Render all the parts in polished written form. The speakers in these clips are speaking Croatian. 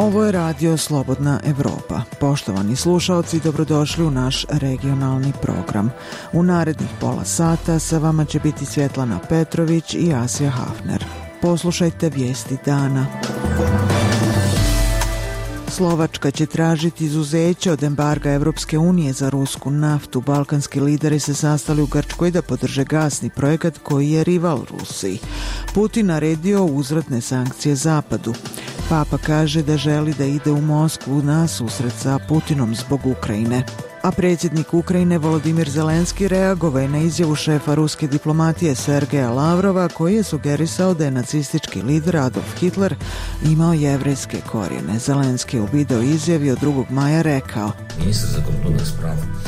Ovo je radio Slobodna Evropa. Poštovani slušaoci, dobrodošli u naš regionalni program. U narednih pola sata sa vama će biti Svjetlana Petrović i Asija Hafner. Poslušajte vijesti dana. Slovačka će tražiti izuzeće od embarga Evropske unije za rusku naftu. Balkanski lideri se sastali u Grčkoj da podrže gasni projekat koji je rival Rusiji. Putin naredio uzvratne sankcije Zapadu. Papa kaže da želi da ide u Moskvu na susret sa Putinom zbog Ukrajine. A predsjednik Ukrajine Volodimir Zelenski reagovao je na izjavu šefa ruske diplomatije Sergeja Lavrova koji je sugerisao da je nacistički lider Adolf Hitler imao jevrejske korijene. Zelenski je u video izjavi od 2. maja rekao: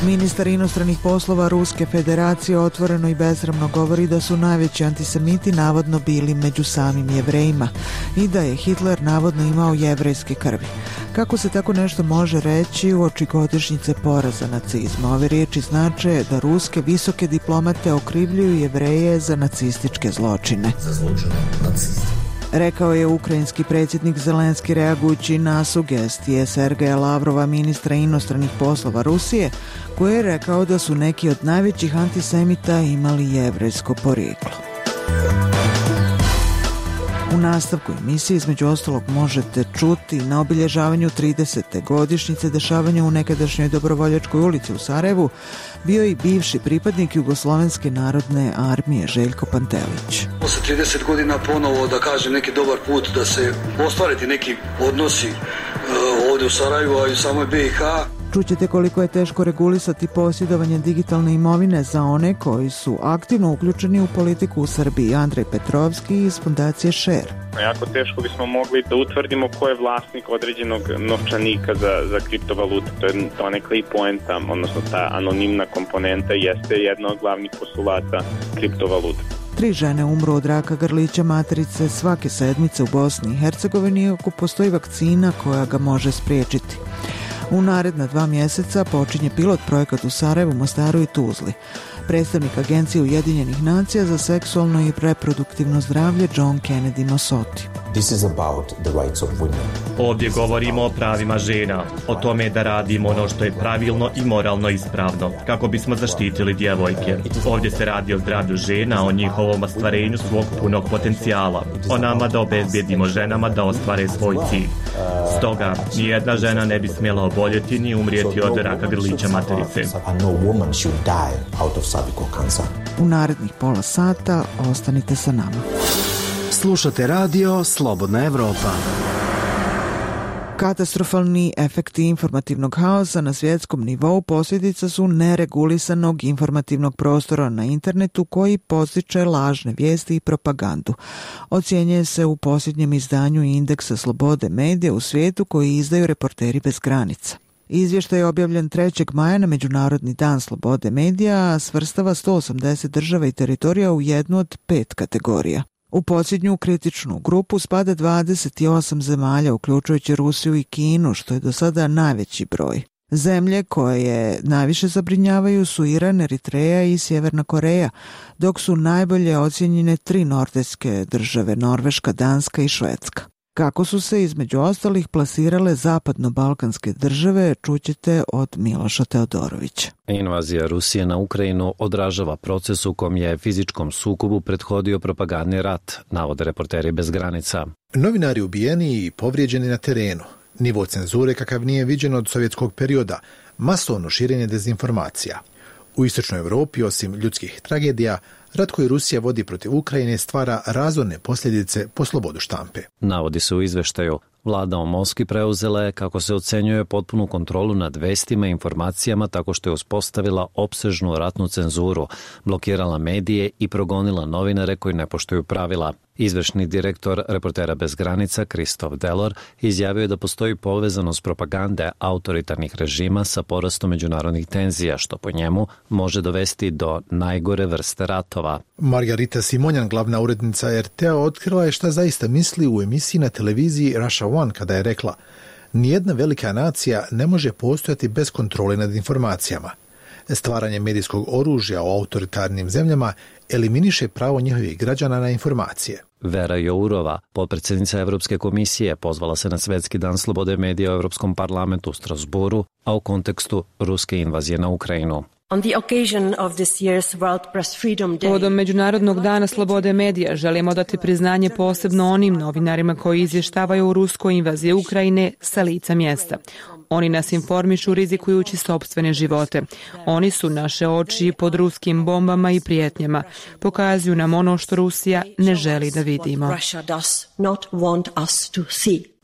Ministar inostranih poslova Ruske federacije otvoreno i besramno govori da su najveći antisemiti navodno bili među samim Jevrejima i da je Hitler navodno imao jevrejske krvi. Kako se tako nešto može reći uoči godišnjice poraza nacizma? Ove riječi znače da ruske visoke diplomate okrivljuju Jevreje za nacističke zločine. Rekao je ukrajinski predsjednik Zelenski reagujući na sugestije Sergeja Lavrova, ministra inostranih poslova Rusije, koji je rekao da su neki od najvećih antisemita imali jevrejsko porijeklo. U nastavku emisije između ostalog možete čuti na obilježavanju 30. godišnjice dešavanja u nekadašnjoj Dobrovoljačkoj ulici u Sarajevu bio i bivši pripadnik Jugoslovenske narodne armije Željko Pantelić. Posle 30 godina ponovo, da kažem, neki dobar put da se ostvariti neki odnosi ovdje u Sarajevu, a i u samoj BiH. Čućete koliko je teško regulisati posjedovanje digitalne imovine za one koji su aktivno uključeni u politiku u Srbiji. Andrej Petrovski iz Fundacije Share. Jako teško bismo mogli da utvrdimo ko je vlasnik određenog novčanika za kriptovalutu. To je donekle i poenta, odnosno ta anonimna komponenta jeste jedna od glavnih postulata kriptovaluta. 3 žene umru od raka grlića materice svake sedmice u Bosni i Hercegovini, iako postoji vakcina koja ga može spriječiti. U naredna 2 mjeseca počinje pilot projekat u Sarajevu, Mostaru i Tuzli. Predstavnik Agencije Ujedinjenih nacija za seksualno i reproduktivno zdravlje John Kennedy Mosoti. Ovdje govorimo o pravima žena, o tome da radimo ono što je pravilno i moralno ispravno, kako bismo zaštitili djevojke. Ovdje se radi o zdravlju žena, o njihovom ostvarenju svog punog potencijala, o nama da obezbijedimo ženama da ostvare svoj cilj. Stoga, nijedna žena ne bi smjela oboljeti ni umrijeti od raka grlića materice. U narednih pola sata ostanite sa nama. Slušate radio Slobodna Evropa. Katastrofalni efekti informativnog haosa na svjetskom nivou posljedica su neregulisanog informativnog prostora na internetu koji podstiče lažne vijesti i propagandu. Ocjenjuje se u posljednjem izdanju indeksa slobode medija u svijetu koji izdaju Reporteri bez granica. Izvještaj je objavljen 3. maja na Međunarodni dan slobode medija, a svrstava 180 država i teritorija u jednu od 5 kategorija. U posljednju kritičnu grupu spada 28 zemalja, uključujući Rusiju i Kinu, što je do sada najveći broj. Zemlje koje najviše zabrinjavaju su Iran, Eritreja i Sjeverna Koreja, dok su najbolje ocjenjene 3 nordijske države, Norveška, Danska i Švedska. Kako su se između ostalih plasirale zapadno-balkanske države, čućete od Miloša Teodorovića. Invazija Rusije na Ukrajinu odražava proces u kom je fizičkom sukobu prethodio propagandni rat, navode Reporteri bez granica. Novinari ubijeni i povrijeđeni na terenu, nivo cenzure kakav nije viđen od sovjetskog perioda, masovno širenje dezinformacija. U istočnoj Europi, osim ljudskih tragedija, rat koji Rusija vodi protiv Ukrajine stvara razorne posljedice po slobodu štampe. Navodi se u izveštaju. Vlada u Moskvi preuzela je, kako se ocenjuje, potpunu kontrolu nad vestima i informacijama tako što je uspostavila opsežnu ratnu cenzuru, blokirala medije i progonila novinare koji ne poštuju pravila. Izvršni direktor Reportera bez granica Kristof Delor izjavio je da postoji povezanost propagande autoritarnih režima sa porastom međunarodnih tenzija, što po njemu može dovesti do najgore vrste ratova. Margarita Simonjan, glavna urednica RT-a, otkrila je šta zaista misli u emisiji na televiziji Russia One kada je rekla: nijedna velika nacija ne može postojati bez kontrole nad informacijama. Stvaranje medijskog oružja u autoritarnim zemljama eliminiše pravo njihovih građana na informacije. Vera Jourova, potpredsjednica Evropske komisije, pozvala se na Svetski dan slobode medija u Europskom parlamentu u Strasburu, a u kontekstu ruske invazije na Ukrajinu. Povodom Međunarodnog dana slobode medija želimo dati priznanje posebno onim novinarima koji izvještavaju o ruskoj invaziji Ukrajine sa lica mjesta. Oni nas informišu rizikujući sopstvene živote. Oni su naše oči pod ruskim bombama i prijetnjama. Pokazuju nam ono što Rusija ne želi da vidimo.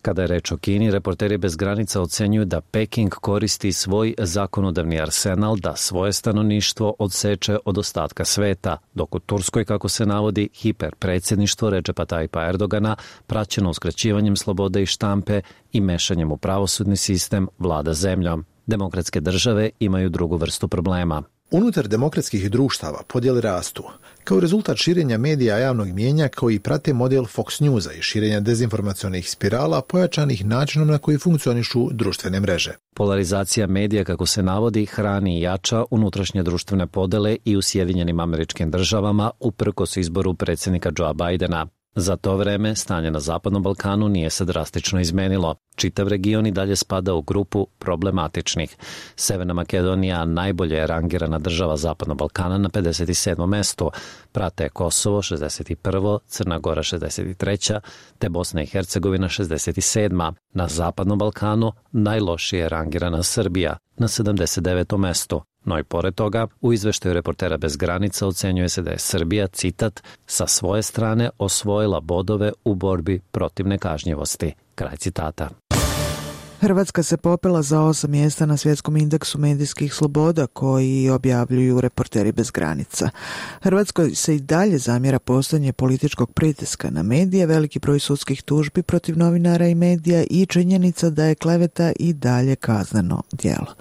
Kada je reč o Kini, Reporteri bez granica ocenjuju da Peking koristi svoj zakonodavni arsenal da svoje stanovništvo odseče od ostatka sveta, dok u Turskoj, kako se navodi, hiperpredsjedništvo Redžepa Tajpa Erdogana, praćeno uskraćivanjem slobode i štampe i mešanjem u pravosudni sistem, vlada zemljom. Demokratske države imaju drugu vrstu problema. Unutar demokratskih društava podjele rastu, kao rezultat širenja medija javnog mijenja koji prate model Fox Newsa i širenja dezinformacionih spirala pojačanih načinom na koji funkcionišu društvene mreže. Polarizacija medija, kako se navodi, hrani i jača unutrašnje društvene podele i u Sjedinjenim Američkim Državama uprkos izboru predsjednika Joea Bidena. Za to vreme stanje na Zapadnom Balkanu nije se drastično izmenilo. Čitav region i dalje spada u grupu problematičnih. Severna Makedonija najbolje je rangirana država Zapadnog Balkana na 57. mestu. Prate Kosovo 61., Crna Gora 63., te Bosna i Hercegovina 67. Na Zapadnom Balkanu najlošije je rangirana Srbija na 79. mestu. No i pored toga, u izveštaju Reportera bez granica ocenjuje se da je Srbija, citat, sa svoje strane osvojila bodove u borbi protiv nekažnjivosti. Kraj citata. Hrvatska se popela za 8 mjesta na svjetskom indeksu medijskih sloboda koji objavljuju Reporteri bez granica. Hrvatskoj se i dalje zamjera postojanje političkog pritiska na medije, veliki broj sudskih tužbi protiv novinara i medija i činjenica da je kleveta i dalje kazneno djelo.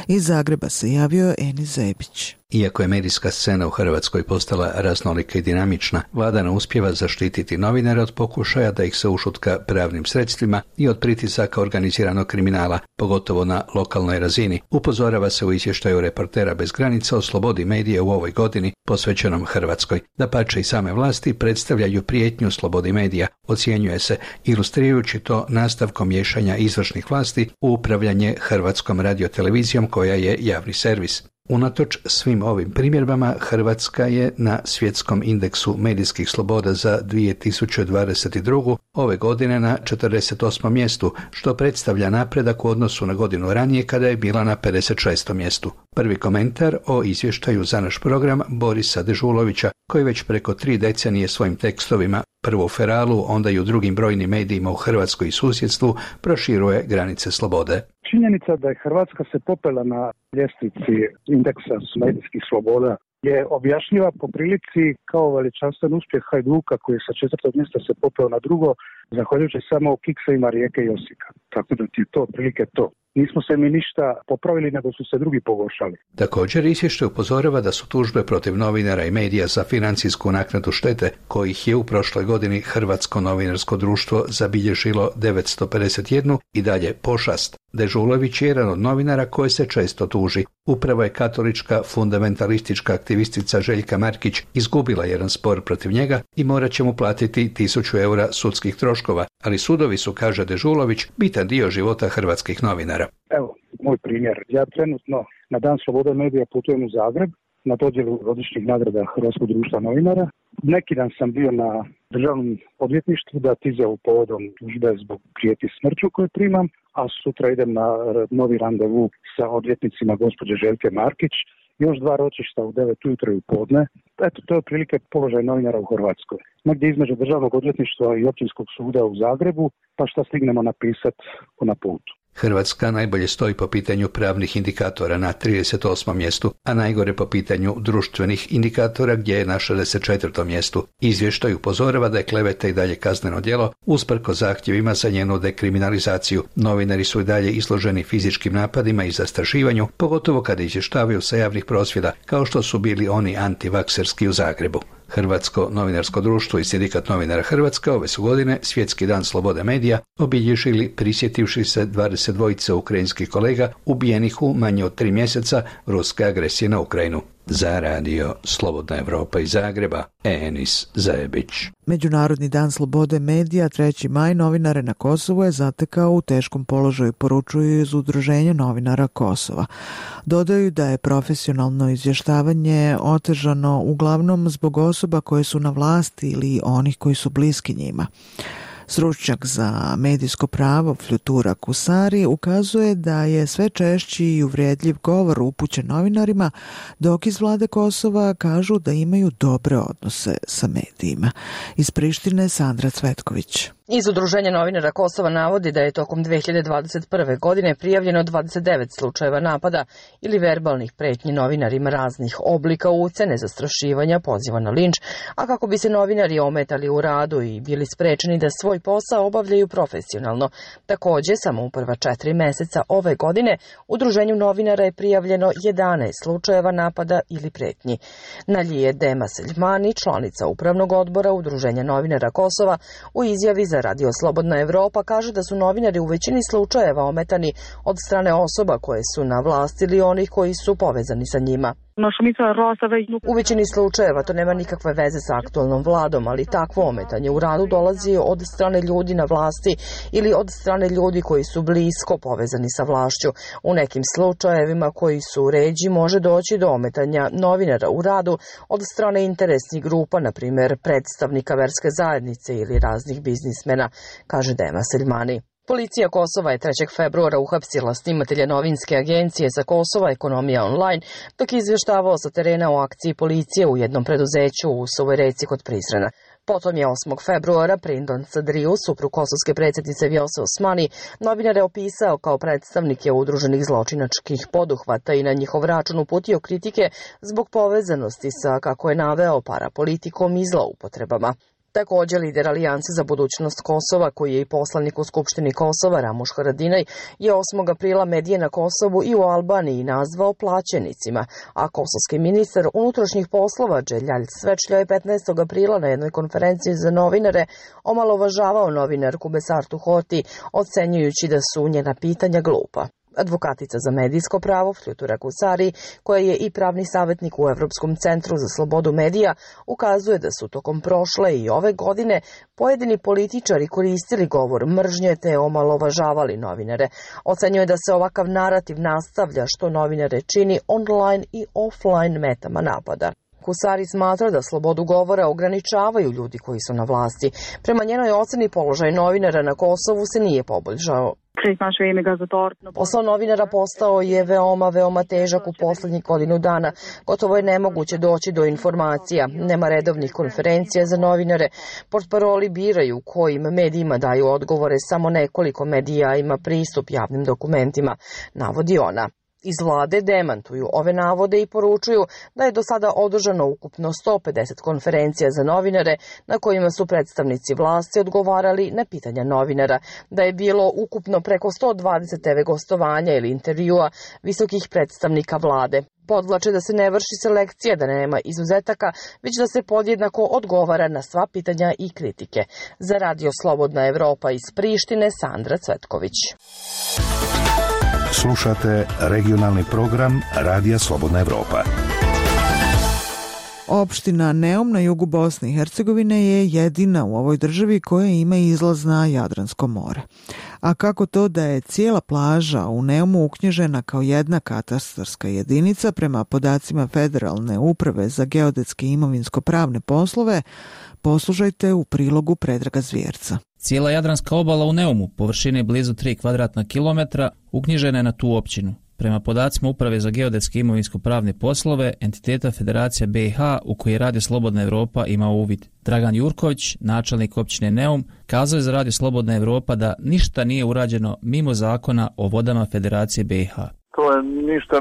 Iz Zagreba se javio Enis Zebić. Iako je medijska scena u Hrvatskoj postala raznolika i dinamična, vlada ne uspijeva zaštititi novinare od pokušaja da ih se ušutka pravnim sredstvima i od pritisaka organiziranog kriminala, pogotovo na lokalnoj razini. Upozorava se u izvještaju Reportera bez granica o slobodi medija u ovoj godini posvećenom Hrvatskoj. Dapače, i same vlasti predstavljaju prijetnju slobodi medija, ocjenjuje se, ilustrirajući to nastavkom miješanja izvršnih vlasti u upravljanje Hrvatskom radiotelevizijom koja je javni servis. Unatoč svim ovim primjedbama, Hrvatska je na svjetskom indeksu medijskih sloboda za 2022. ove godine na 48. mjestu, što predstavlja napredak u odnosu na godinu ranije kada je bila na 56. mjestu. Prvi komentar o izvještaju za naš program Borisa Dežulovića, koji već preko 3 decenije svojim tekstovima, prvo u Feralu, onda i u drugim brojnim medijima u Hrvatskoj i susjedstvu, proširuje granice slobode. Činjenica da je Hrvatska se popela na ljestvici indeksa medijskih sloboda je objašnjiva po prilici kao veličanstven uspjeh Hajduka koji je sa 4. mjesta se popeo na drugo, zahvaljujući samo kiksevima Rijeke i Osijeka. Tako da ti je to otprilike to. Nismo se mi ništa popravili, nego su se drugi pogoršali. Također izvještaj upozorava da su tužbe protiv novinara i medija za financijsku naknadu štete, kojih je u prošloj godini Hrvatsko novinarsko društvo zabilježilo 951 i dalje pošast. Dežulović je jedan od novinara koje se često tuži. Upravo je katolička fundamentalistička aktivistica Željka Markić izgubila jedan spor protiv njega i morat će mu platiti 1000 eura sudskih troškova, ali sudovi su, kaže Dežulović, bitan dio života hrvatskih novinara. Evo, moj primjer. Ja trenutno na Dan slobode medija putujem u Zagreb na dodjelu godišnjih nagrada Hrvatskog društva novinara. Neki dan sam bio na državnom odvjetništvu dati izjavu povodom tužbe zbog prijeti smrću koju primam, a sutra idem na novi randevu sa odvjetnicima gospođe Željke Markić. Još 2 ročišta u 9 ujutro i u podne. Eto, to je otprilike položaj novinara u Hrvatskoj. Negdje između državnog odvjetništva i općinskog suda u Zagrebu, pa šta stignemo napisati na putu. Hrvatska najbolje stoji po pitanju pravnih indikatora na 38. mjestu, a najgore po pitanju društvenih indikatora gdje je na 64. mjestu. Izvještaj upozorava da je kleveta i dalje kazneno djelo, usprkos zahtjevima za njenu dekriminalizaciju. Novinari su i dalje izloženi fizičkim napadima i zastrašivanju, pogotovo kada izvještavaju sa javnih prosvjeda, kao što su bili oni antivakserski u Zagrebu. Hrvatsko novinarsko društvo i Sindikat novinara Hrvatske ove su godine Svjetski dan slobode medija obilježili prisjetivši se 22 ukrajinskih kolega ubijenih u manje od 3 mjeseca ruske agresije na Ukrajinu. Za radio Slobodna Evropa iz Zagreba, Enis Zajebić. Međunarodni dan slobode medija 3. maj novinare na Kosovu je zatekao u teškom položaju, poručuju iz Udruženja novinara Kosova. Dodaju da je profesionalno izvještavanje otežano uglavnom zbog osoba koje su na vlasti ili onih koji su bliski njima. Stručnjak za medijsko pravo Flutura Kusari ukazuje da je sve češći i uvredljiv govor upućen novinarima, dok iz vlade Kosova kažu da imaju dobre odnose sa medijima. Iz Prištine Sandra Cvetković. Iz Udruženja novinara Kosova navodi da je tokom 2021. godine prijavljeno 29 slučajeva napada ili verbalnih pretnji novinarima raznih oblika ucene, zastrašivanja, poziva na linč, a kako bi se novinari ometali u radu i bili sprečeni da svoj posao obavljaju profesionalno. Također, samo u prva 4 mjeseca ove godine Udruženju novinara je prijavljeno 11 slučajeva napada ili pretnji. Nalije Dema Seljmani, članica upravnog odbora Udruženja novinara Kosova, u izjavi za Radio Slobodna Evropa kaže da su novinari u većini slučajeva ometani od strane osoba koje su na vlasti ili onih koji su povezani sa njima. U većini slučajeva to nema nikakve veze sa aktualnom vladom, ali takvo ometanje u radu dolazi od strane ljudi na vlasti ili od strane ljudi koji su blisko povezani sa vlašću. U nekim slučajevima koji su ređi može doći do ometanja novinara u radu od strane interesnih grupa, na primjer predstavnika verske zajednice ili raznih biznismena, kaže Dema Seljmani. Policija Kosova je 3. februara uhapsila snimatelja novinske agencije za Kosova Ekonomija online, dok je izvještavao sa terena o akciji policije u jednom preduzeću u Suvoj Reci kod Prizrena. Potom je 8. februara Prindon Sadriju, suprug kosovske predsjednice Vjose Osmani, novinare opisao kao predstavnike udruženih zločinačkih poduhvata i na njihov račun uputio kritike zbog povezanosti sa, kako je naveo, parapolitikom i zloupotrebama. Također, lider Alijanse za budućnost Kosova, koji je i poslanik u Skupštini Kosova, Ramuš Haradinaj, je 8. aprila medije na Kosovu i u Albaniji nazvao plaćenicima, a kosovski ministar unutrašnjih poslova Dželjalj Svečlja je 15. aprila na jednoj konferenciji za novinare omalovažavao novinarku Besartu Hoti, ocenjujući da su njena pitanja glupa. Advokatica za medijsko pravo Flutura Kusari, koja je i pravni savjetnik u Evropskom centru za slobodu medija, ukazuje da su tokom prošle i ove godine pojedini političari koristili govor mržnje te omalovažavali novinare. Ocenjuje da se ovakav narativ nastavlja, što novinare čini online i offline metama napada. Kusari smatra da slobodu govora ograničavaju ljudi koji su na vlasti. Prema njenoj oceni položaj novinara na Kosovu se nije poboljšao. Posao novinara postao je veoma težak u posljednjih godinu dana. Gotovo je nemoguće doći do informacija. Nema redovnih konferencija za novinare. Portparoli biraju kojim medijima daju odgovore. Samo nekoliko medija ima pristup javnim dokumentima, navodi ona. Iz vlade demantuju ove navode i poručuju da je do sada održano ukupno 150 konferencija za novinare na kojima su predstavnici vlasti odgovarali na pitanja novinara, da je bilo ukupno preko 120 TV gostovanja ili intervjua visokih predstavnika vlade. Podvlače da se ne vrši selekcija, da nema izuzetaka, već da se podjednako odgovara na sva pitanja i kritike. Za Radio Slobodna Evropa iz Prištine, Sandra Cvetković. Slušate regionalni program Radija Slobodna Evropa. Opština Neum na jugu Bosne i Hercegovine je jedina u ovoj državi koja ima izlaz na Jadransko more. A kako to da je cijela plaža u Neumu uknjižena kao jedna katastarska jedinica prema podacima Federalne uprave za geodetske i imovinsko-pravne poslove, poslušajte u prilogu Predraga Zvjerca. Cijela Jadranska obala u Neumu, površine blizu 3 kvadratna kilometra, uknjižena je na tu općinu. Prema podacima Uprave za geodetske i imovinsko-pravne poslove, entiteta Federacija BiH u kojoj Radio Slobodna Evropa ima uvid. Dragan Jurković, načelnik općine Neum, kazao je za Radio Slobodna Evropa da ništa nije urađeno mimo zakona o vodama Federacije BiH. To je ništa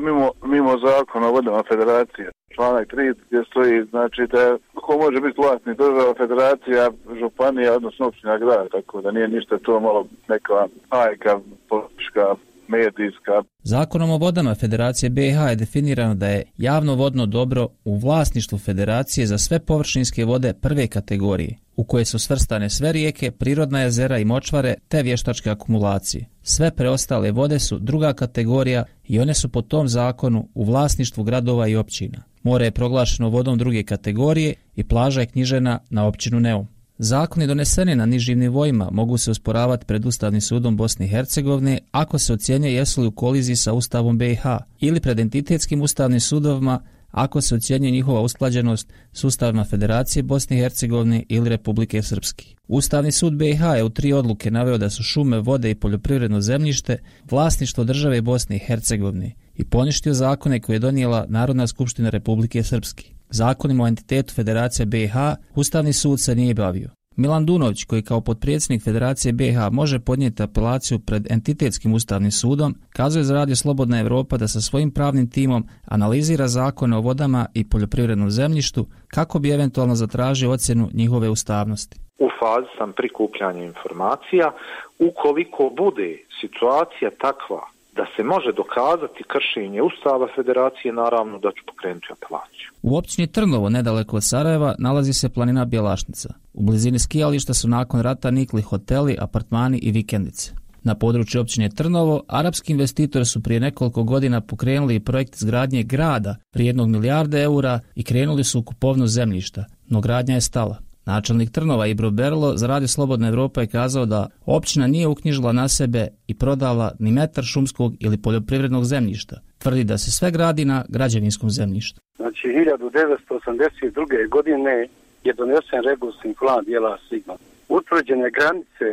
mimo zakona o vodama Federacije. Članak 3 gdje stoji, znači da ko može biti vlasnik država, federacija, županija, odnosno općina, grad, tako da nije ništa to malo neka hajka politička medijska. Zakonom o vodama Federacije BiH je definirano da je javno vodno dobro u vlasništvu Federacije za sve površinske vode prve kategorije, u koje su svrstane sve rijeke, prirodna jezera i močvare te vještačke akumulacije. Sve preostale vode su druga kategorija i one su po tom zakonu u vlasništvu gradova i općina. More je proglašeno vodom druge kategorije i plaža je knjižena na općinu Neum. Zakoni doneseni na nižim nivoima mogu se osporavati pred Ustavnim sudom Bosne i Hercegovine ako se ocjenjuje jesu li u koliziji sa Ustavom BiH ili pred entitetskim ustavnim sudovima ako se ocjenjuje njihova usklađenost s ustavima Federacije Bosne i Hercegovine ili Republike Srpske. Ustavni sud BiH je u 3 odluke naveo da su šume, vode i poljoprivredno zemljište vlasništvo države Bosne i Hercegovine i poništio zakone koje je donijela Narodna skupština Republike Srpske. Zakonima o entitetu Federacije BiH Ustavni sud se nije bavio. Milan Dunović, koji kao potpredsjednik Federacije BiH može podnijeti apelaciju pred entitetskim ustavnim sudom, kazuje za Radio Slobodna Evropa da sa svojim pravnim timom analizira zakone o vodama i poljoprivrednom zemljištu kako bi eventualno zatražio ocjenu njihove ustavnosti. U fazi sam prikupljanja informacija. Ukoliko bude situacija takva da se može dokazati kršenje Ustava Federacije, naravno da ću pokrenuti apelaciju. U općini Trnovo, nedaleko od Sarajeva, nalazi se planina Bjelašnica. U blizini skijališta su nakon rata nikli hoteli, apartmani i vikendice. Na području općine Trnovo, arapski investitori su prije nekoliko godina pokrenuli projekt izgradnje grada vrijednog milijarde eura i krenuli su u kupovnu zemljišta, no gradnja je stala. Načelnik Trnova Ibro Berlo za Radio Slobodna Evropa je kazao da općina nije uknjižila na sebe i prodala ni metar šumskog ili poljoprivrednog zemljišta. Tvrdi da se sve gradi na građevinskom zemljištu. Znači 1982. godine je donesen regularni plan dijela Sigma. Utvrđene granice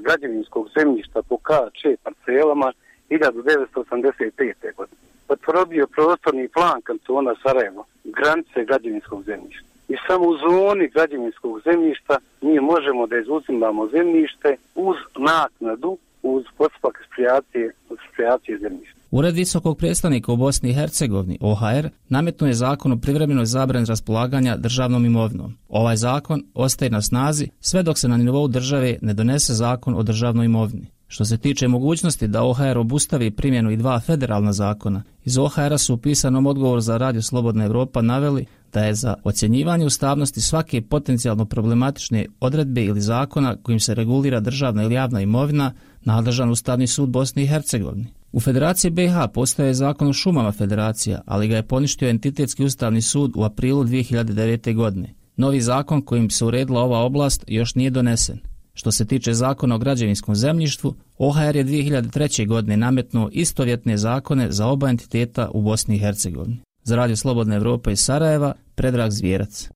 građevinskog zemljišta po KČ parcelama 1985. godine. Potvrdio prostorni plan kantona Sarajevo, granice građevinskog zemljišta. I samo u zoni građevinskog zemljišta mi možemo da izuzimamo zemljište uz naknadu, uz postupak eksproprijacije zemljišta. Ured visokog predstavnika u Bosni i Hercegovini, OHR, nametnuo je zakon o privremenoj zabrani raspolaganja državnom imovinom. Ovaj zakon ostaje na snazi sve dok se na nivou države ne donese zakon o državnoj imovini. Što se tiče mogućnosti da OHR obustavi primjenu i 2 federalna zakona, iz OHR-a su u pisanom odgovoru za Radio Slobodna Evropa naveli da je za ocjenjivanje ustavnosti svake potencijalno problematične odredbe ili zakona kojim se regulira državna ili javna imovina nadležan Ustavni sud Bosne i Hercegovine. U Federaciji BiH postoje zakon o šumama Federacija, ali ga je poništio entitetski Ustavni sud u aprilu 2009. godine. Novi zakon kojim se uredila ova oblast još nije donesen. Što se tiče zakona o građevinskom zemljištu, OHR je 2003. godine nametnuo istovjetne zakone za oba entiteta u Bosni i Hercegovini. Za Radio Slobodna Evropa iz Sarajeva, Predrag Zvijerac.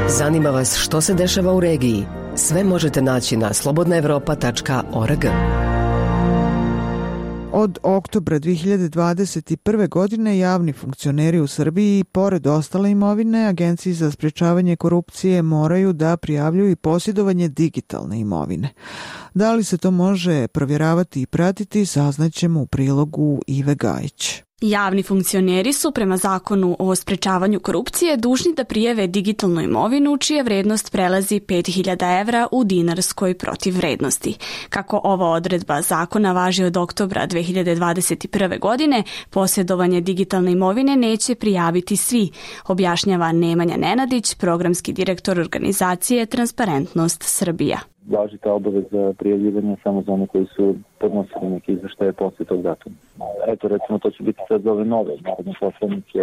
Zanima vas što se dešava u regiji? Sve možete naći na slobodnaevropa.org. Od oktobra 2021. godine javni funkcioneri u Srbiji, pored ostale imovine, Agenciji za sprječavanje korupcije moraju da prijavljuju i posjedovanje digitalne imovine. Da li se to može provjeravati i pratiti, saznaćemo u prilogu Ive Gajić. Javni funkcioneri su prema zakonu o sprečavanju korupcije dužni da prijave digitalnu imovinu čija vrednost prelazi 5.000 evra u dinarskoj protivvrednosti. Kako ova odredba zakona važi od oktobra 2021. godine, posjedovanje digitalne imovine neće prijaviti svi, objašnjava Nemanja Nenadić, programski direktor organizacije Transparentnost Srbija. Važi ta obaveza prijavljivanja samo za one koji su podnosili neki izveštaje poslije tog datuma. Eto, recimo, to će biti sad za ove nove narodne poslanike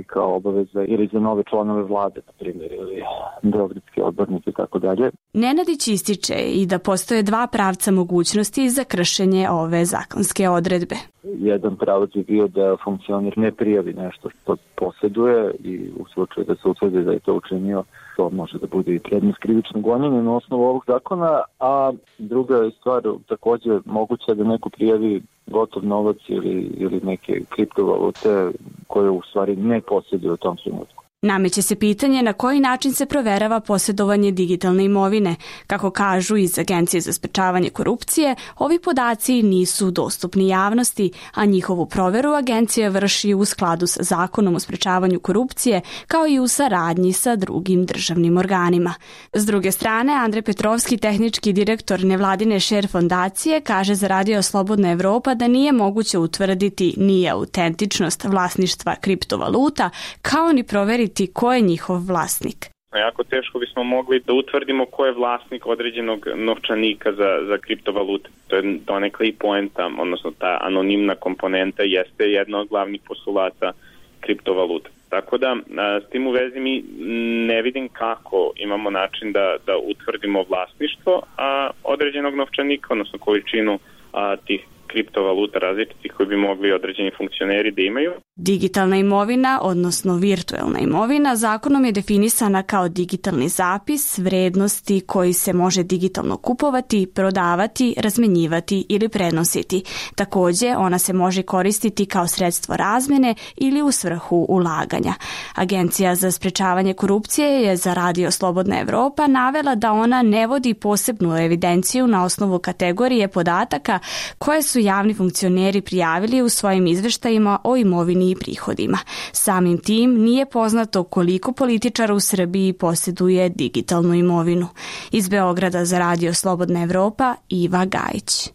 kao obaveza ili za nove članove vlade, na primjer, ili beogradske odbornike i tako dalje. Nenadić ističe i da postoje 2 pravca mogućnosti za kršenje ove zakonske odredbe. Jedan pravac je bio da funkcioner ne prijavi nešto što posjeduje i u slučaju da se utvrdi da je to učinio, to može da bude i predmet krivičnog gonjenja na osnovu ovog zakona, a druga je stvar također moguće da neko prijavi gotov novac ili neke kriptovalute koje u stvari ne posjeduje u tom trenutku. Nameće se pitanje na koji način se proverava posjedovanje digitalne imovine. Kako kažu iz Agencije za sprečavanje korupcije, ovi podaci nisu dostupni javnosti, a njihovu proveru agencija vrši u skladu sa Zakonom o sprečavanju korupcije, kao i u saradnji sa drugim državnim organima. S druge strane, Andrej Petrovski, tehnički direktor nevladine Share fondacije, kaže za Radio Slobodna Evropa da nije moguće utvrditi ni autentičnost vlasništva kriptovaluta, kao ni proveriti ko je njihov vlasnik. Jako teško bismo mogli da utvrdimo ko je vlasnik određenog novčanika za kriptovalute. To je donekle i poenta, odnosno ta anonimna komponenta jeste jedna od glavnih postulata kriptovaluta. Tako da, s tim u vezi mi ne vidim kako imamo način da utvrdimo vlasništvo određenog novčanika, odnosno količinu tih kriptovaluta različitih koji bi mogli određeni funkcioneri da imaju. Digitalna imovina, odnosno virtuelna imovina, zakonom je definisana kao digitalni zapis vrednosti koji se može digitalno kupovati, prodavati, razmenjivati ili prenositi. Također, ona se može koristiti kao sredstvo razmjene ili u svrhu ulaganja. Agencija za sprečavanje korupcije je za Radio Slobodna Evropa navela da ona ne vodi posebnu evidenciju na osnovu kategorije podataka koje su javni funkcioneri prijavili u svojim izveštajima o imovini i prihodima. Samim tim nije poznato koliko političara u Srbiji posjeduje digitalnu imovinu. Iz Beograda za Radio Slobodna Evropa, Iva Gajić.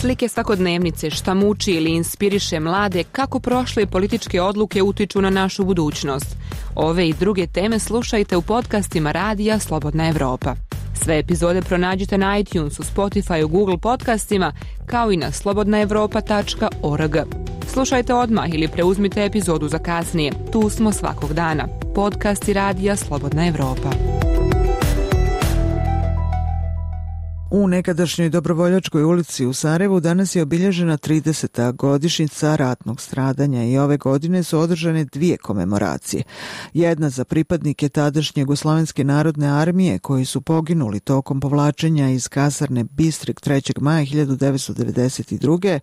Slike svakodnevnice, šta muči ili inspiriše mlade, kako prošle političke odluke utiču na našu budućnost. Ove i druge teme slušajte u podcastima Radija Slobodna Evropa. Sve epizode pronađite na iTunesu, Spotifyu, Google podcastima, kao i na slobodnaevropa.org. Slušajte odmah ili preuzmite epizodu za kasnije. Tu smo svakog dana. Podcasti Radija Slobodna Evropa. U nekadašnjoj Dobrovoljačkoj ulici u Sarajevu danas je obilježena 30. godišnjica ratnog stradanja i ove godine su održane 2 komemoracije. Jedna za pripadnike tadašnje Jugoslovenske narodne armije koji su poginuli tokom povlačenja iz kasarne Bistrik 3. maja 1992.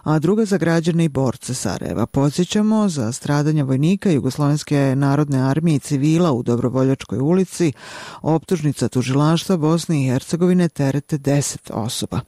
a druga za građane i borce Sarajeva. Podsjećamo, za stradanja vojnika Jugoslovenske narodne armije i civila u Dobrovoljačkoj ulici optužnica tužilaštva Bosne i Hercegovine terete 10 osoba.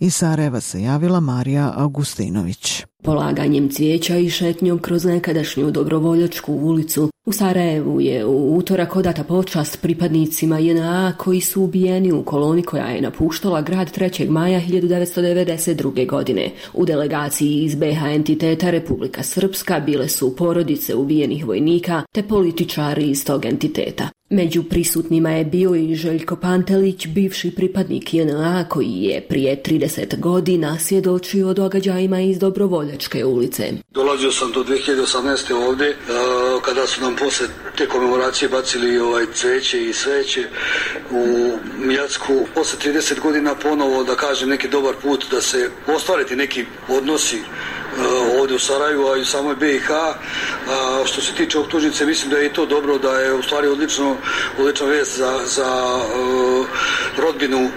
Iz Sarajeva se javila Marija Augustinović. Polaganjem cvijeća i šetnjom kroz nekadašnju Dobrovoljačku ulicu u Sarajevu je u utorak odata počast pripadnicima JNA koji su ubijeni u koloni koja je napuštala grad 3. maja 1992. godine. U delegaciji iz BiH entiteta Republika Srpska bile su porodice ubijenih vojnika te političari iz tog entiteta. Među prisutnima je bio i Željko Pantelić, bivši pripadnik JNA koji je prije 30 godina svjedočio o događajima iz Dobrovoljačke ulice. Dolazio sam do 2018. ovdje, kada su nam posle te komemoracije bacili cveće i sveće u Mijacku. Posle 30 godina ponovo, da kažem, neki dobar put da se ostvariti neki odnosi ovdje u Sarajevu, a i u samoj BiH. Što se tiče optužnice, mislim da je i to dobro, da je u stvari odlična vest za rodbinu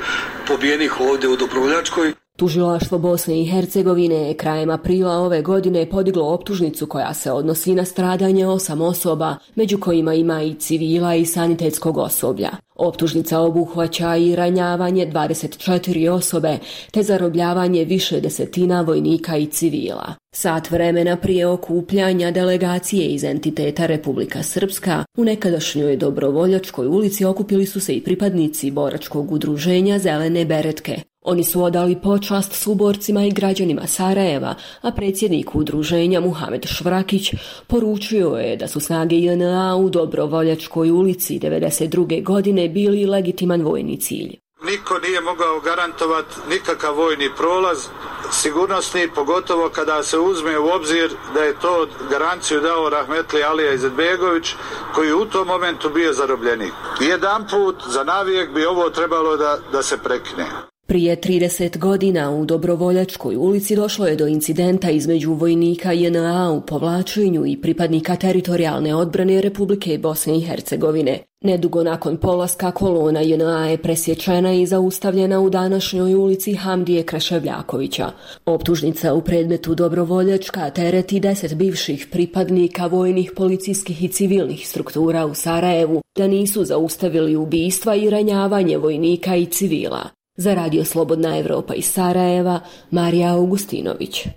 pobijenih ovdje u Dobrovoljačkoj. Tužilaštvo Bosne i Hercegovine je krajem aprila ove godine podiglo optužnicu koja se odnosi na stradanje 8 osoba, među kojima ima i civila i sanitetskog osoblja. Optužnica obuhvaća i ranjavanje 24 osobe, te zarobljavanje više desetina vojnika i civila. Sat vremena prije okupljanja delegacije iz entiteta Republika Srpska, u nekadašnjoj Dobrovoljačkoj ulici okupili su se i pripadnici boračkog udruženja Zelene beretke. Oni su odali počast suborcima i građanima Sarajeva, a predsjednik udruženja Muhamed Švrakić poručio je da su snage JNA u Dobrovoljačkoj ulici 1992. godine bili legitiman vojni cilj. Niko nije mogao garantovati nikakav vojni prolaz, sigurnosni, pogotovo kada se uzme u obzir da je to garanciju dao Rahmetli Alija Izetbegović, koji u tom momentu bio zarobljenik. Jedan put za navijek bi ovo trebalo da se prekine. Prije 30 godina u Dobrovoljačkoj ulici došlo je do incidenta između vojnika JNA u povlačenju i pripadnika teritorijalne odbrane Republike Bosne i Hercegovine. Nedugo nakon polaska kolona JNA je presječena i zaustavljena u današnjoj ulici Hamdije Kreševljakovića. Optužnica u predmetu Dobrovoljačka tereti 10 bivših pripadnika vojnih, policijskih i civilnih struktura u Sarajevu da nisu zaustavili ubistva i ranjavanje vojnika i civila. Za Radio Slobodna Evropa iz Sarajeva, Marija Augustinović.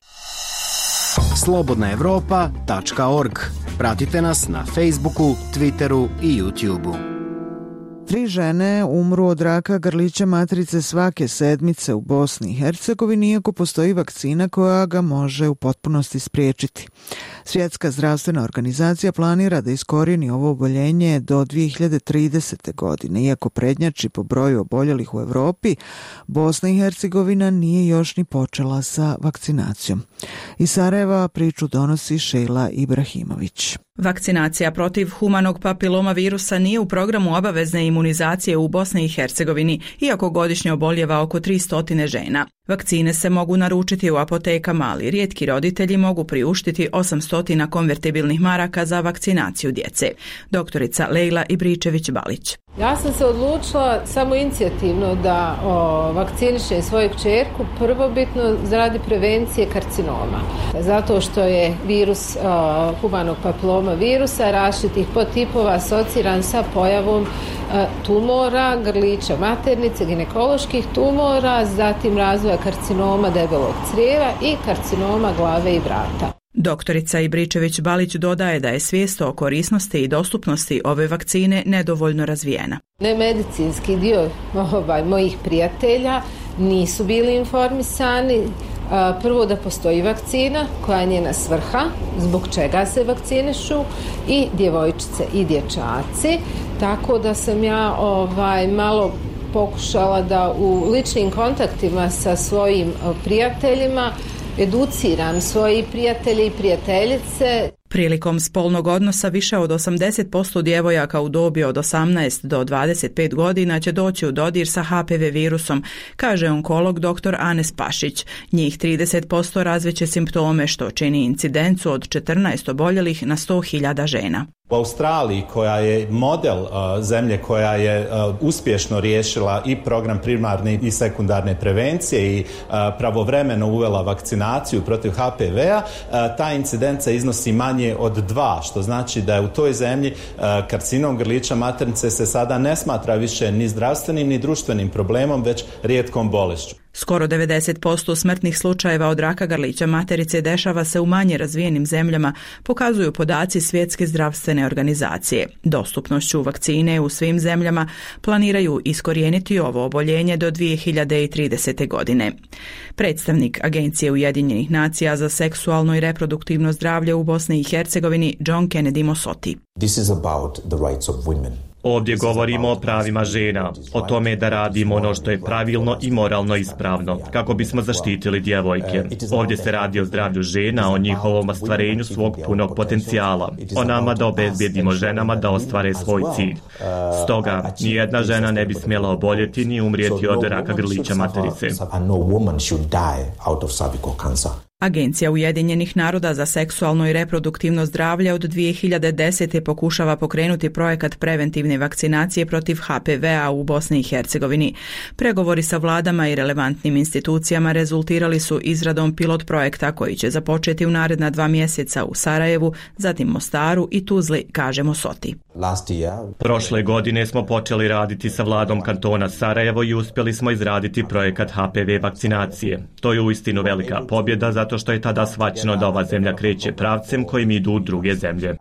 slobodnaevropa.org. Pratite nas na Facebooku, Twitteru i YouTubeu. 3 žene umru od raka grlića matrice svake sedmice u Bosni i Hercegovini, iako postoji vakcina koja ga može u potpunosti spriječiti. Svjetska zdravstvena organizacija planira da iskorijeni ovo oboljenje do 2030. godine. Iako prednjači po broju oboljelih u Europi, Bosna i Hercegovina nije još ni počela sa vakcinacijom. Iz Sarajeva priču donosi Šejla Ibrahimović. Vakcinacija protiv humanog papiloma virusa nije u programu obavezne imunizacije u Bosni i Hercegovini, iako godišnje oboljeva oko 300 žena. Vakcine se mogu naručiti u apotekama, ali rijetki roditelji mogu priuštiti 800 konvertibilnih maraka za vakcinaciju djece. Doktorica Lejla Ibričević-Balić. Ja sam se odlučila samo inicijativno da vakcinišem svoju kćerku prvobitno zaradi prevencije karcinoma. Zato što je virus humanog papiloma virusa različitih podtipova asociran sa pojavom tumora, grlića maternice, ginekoloških tumora, zatim razvoja karcinoma debelog crijeva i karcinoma glave i vrata. Doktorica Ibričević-Balić dodaje da je svijest o korisnosti i dostupnosti ove vakcine nedovoljno razvijena. Nemedicinski dio mojih prijatelja nisu bili informisani. Prvo da postoji vakcina koja je njena svrha, zbog čega se vakcinišu i djevojčice i dječaci. Tako da sam ja malo pokušala da u ličnim kontaktima sa svojim prijateljima educiram svoje prijatelje i prijateljice. Prilikom spolnog odnosa više od 80% djevojaka u dobi od 18 do 25 godina će doći u dodir sa HPV virusom, kaže onkolog dr. Anes Pašić. Njih 30% razveće simptome, što čini incidencu od 14 oboljelih na 100.000 žena. U Australiji, koja je model zemlje koja je uspješno riješila i program primarne i sekundarne prevencije i pravovremeno uvela vakcinaciju protiv HPV-a, ta incidenca iznosi manje od 2, što znači da je u toj zemlji karcinom grlića maternice se sada ne smatra više ni zdravstvenim ni društvenim problemom, već rijetkom bolešću. Skoro 90% smrtnih slučajeva od raka grlića materice dešava se u manje razvijenim zemljama, pokazuju podaci Svjetske zdravstvene organizacije. Dostupnošću vakcine u svim zemljama planiraju iskorijeniti ovo oboljenje do 2030. godine. Predstavnik Agencije Ujedinjenih nacija za seksualno i reproduktivno zdravlje u Bosni i Hercegovini, John Kennedy Mosoti. This is about the rights of women. Ovdje govorimo o pravima žena, o tome da radimo ono što je pravilno i moralno ispravno, kako bismo zaštitili djevojke. Ovdje se radi o zdravlju žena, o njihovom ostvarenju svog punog potencijala, o nama da obezbijedimo ženama da ostvare svoj cilj. Stoga, nijedna žena ne bi smjela oboljeti ni umrijeti od raka grlića materice. Agencija Ujedinjenih naroda za seksualno i reproduktivno zdravlje od 2010. pokušava pokrenuti projekat preventivne vakcinacije protiv HPV-a u Bosni i Hercegovini. Pregovori sa vladama i relevantnim institucijama rezultirali su izradom pilot projekta koji će započeti u naredna 2 mjeseca u Sarajevu, zatim Mostaru i Tuzli, kaže Mosoti. Prošle godine smo počeli raditi sa vladom kantona Sarajevo i uspjeli smo izraditi projekat HPV vakcinacije. To je uistinu velika pobjeda zato što je tada shvaćeno da ova zemlja kreće pravcem kojim idu druge zemlje.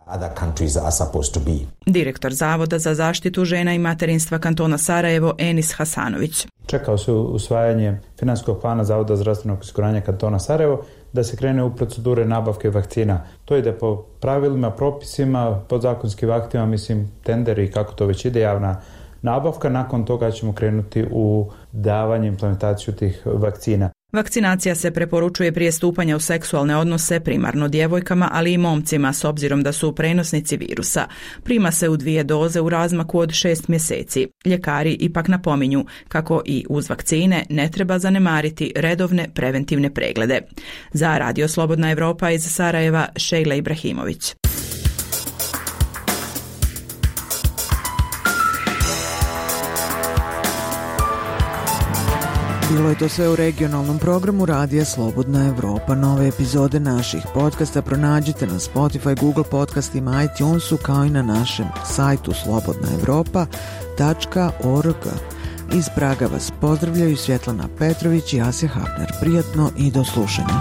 Direktor Zavoda za zaštitu žena i materinstva kantona Sarajevo Enis Hasanović. Čekao se usvajanje financijskog plana Zavoda za zdravstveno osiguranje kantona Sarajevo da se krene u procedure nabavke vakcina. To ide po pravilima, propisima, podzakonskim aktima, tenderi i kako to već ide, javna nabavka. Nakon toga ćemo krenuti u davanje implementaciju tih vakcina. Vakcinacija se preporučuje prije stupanja u seksualne odnose primarno djevojkama, ali i momcima s obzirom da su prenosnici virusa. Prima se u 2 doze u razmaku od 6 mjeseci. Ljekari ipak napominju kako i uz vakcine ne treba zanemariti redovne preventivne preglede. Za Radio Slobodna Evropa iz Sarajeva, Šejla Ibrahimović. Bilo je to sve u regionalnom programu Radija Slobodna Evropa. Nove epizode naših podcasta pronađite na Spotify, Google podcastima, iTunesu, kao i na našem sajtu slobodnaevropa.org. Iz Praga vas pozdravljaju Svjetlana Petrović i Asja Hafner. Prijatno i do slušanja.